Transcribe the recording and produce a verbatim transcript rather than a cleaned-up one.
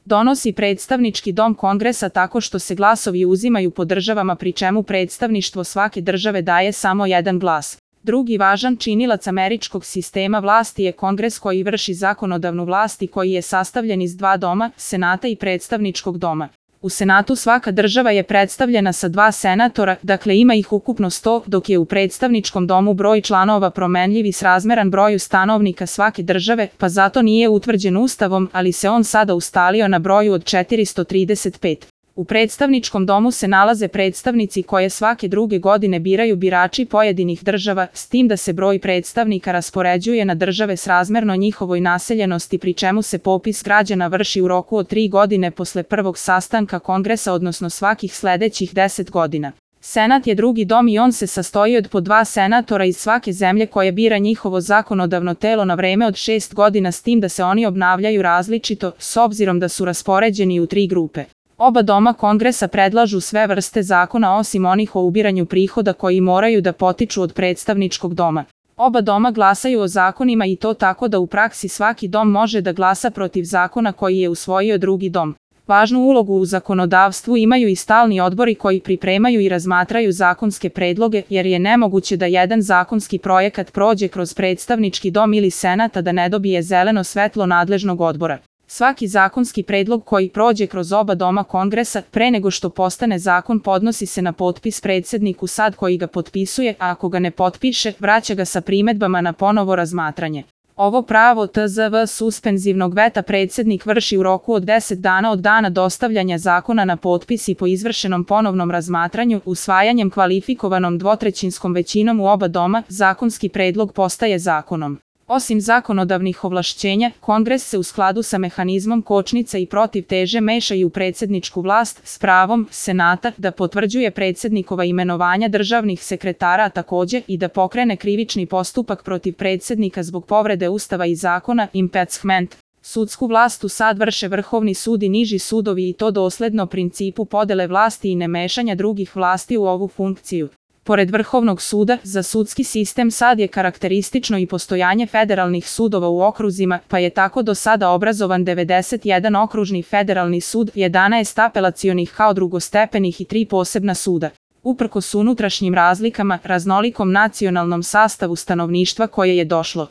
donosi predstavnički dom Kongresa tako što se glasovi uzimaju po državama pri čemu predstavništvo svake države daje samo jedan glas. Drugi važan činilac američkog sistema vlasti je Kongres koji vrši zakonodavnu vlast i koji je sastavljen iz dva doma, Senata i predstavničkog doma. U Senatu svaka država je predstavljena sa dva senatora, dakle ima ih ukupno sto, dok je u predstavničkom domu broj članova promenljiv i srazmeran broju stanovnika svake države, pa zato nije utvrđen Ustavom, ali se on sada ustalio na broju od četiristo trideset pet. U predstavničkom domu se nalaze predstavnici koje svake druge godine biraju birači pojedinih država, s tim da se broj predstavnika raspoređuje na države srazmerno njihovoj naseljenosti pri čemu se popis građana vrši u roku od tri godine posle prvog sastanka Kongresa, odnosno svakih sledećih deset godina. Senat je drugi dom i on se sastoji od po dva senatora iz svake zemlje koje bira njihovo zakonodavno telo na vreme od šest godina, s tim da se oni obnavljaju različito, s obzirom da su raspoređeni u tri grupe. Oba doma Kongresa predlažu sve vrste zakona osim onih o ubiranju prihoda koji moraju da potiču od predstavničkog doma. Oba doma glasaju o zakonima i to tako da u praksi svaki dom može da glasa protiv zakona koji je usvojio drugi dom. Važnu ulogu u zakonodavstvu imaju i stalni odbori koji pripremaju i razmatraju zakonske predloge, jer je nemoguće da jedan zakonski projekat prođe kroz predstavnički dom ili senat a da ne dobije zeleno svetlo nadležnog odbora. Svaki zakonski predlog koji prođe kroz oba doma Kongresa, pre nego što postane zakon, podnosi se na potpis predsedniku sad koji ga potpisuje, a ako ga ne potpiše, vraća ga sa primedbama na ponovo razmatranje. Ovo pravo tzv. Suspenzivnog veta predsednik vrši u roku od deset dana od dana dostavljanja zakona na potpis i po izvršenom ponovnom razmatranju, usvajanjem kvalifikovanom dvotrećinskom većinom u oba doma, zakonski predlog postaje zakonom. Osim zakonodavnih ovlašćenja, Kongres se u skladu sa mehanizmom kočnica i protivteže meša i u predsedničku vlast s pravom Senata da potvrđuje predsednikova imenovanja državnih sekretara, a takođe i da pokrene krivični postupak protiv predsednika zbog povrede Ustava i zakona, impeachment. Sudsku vlast u sad vrše Vrhovni sud i niži sudovi i to dosledno principu podele vlasti i nemešanja drugih vlasti u ovu funkciju. Pored Vrhovnog suda, za sudski sistem sad je karakteristično i postojanje federalnih sudova u okruzima, pa je tako do sada obrazovan devedeset jedan okružni federalni sud, jedanaest apelacionih kao drugostepenih i tri posebna suda. Uprkos unutrašnjim razlikama, raznolikom nacionalnom sastavu stanovništva koje je došlo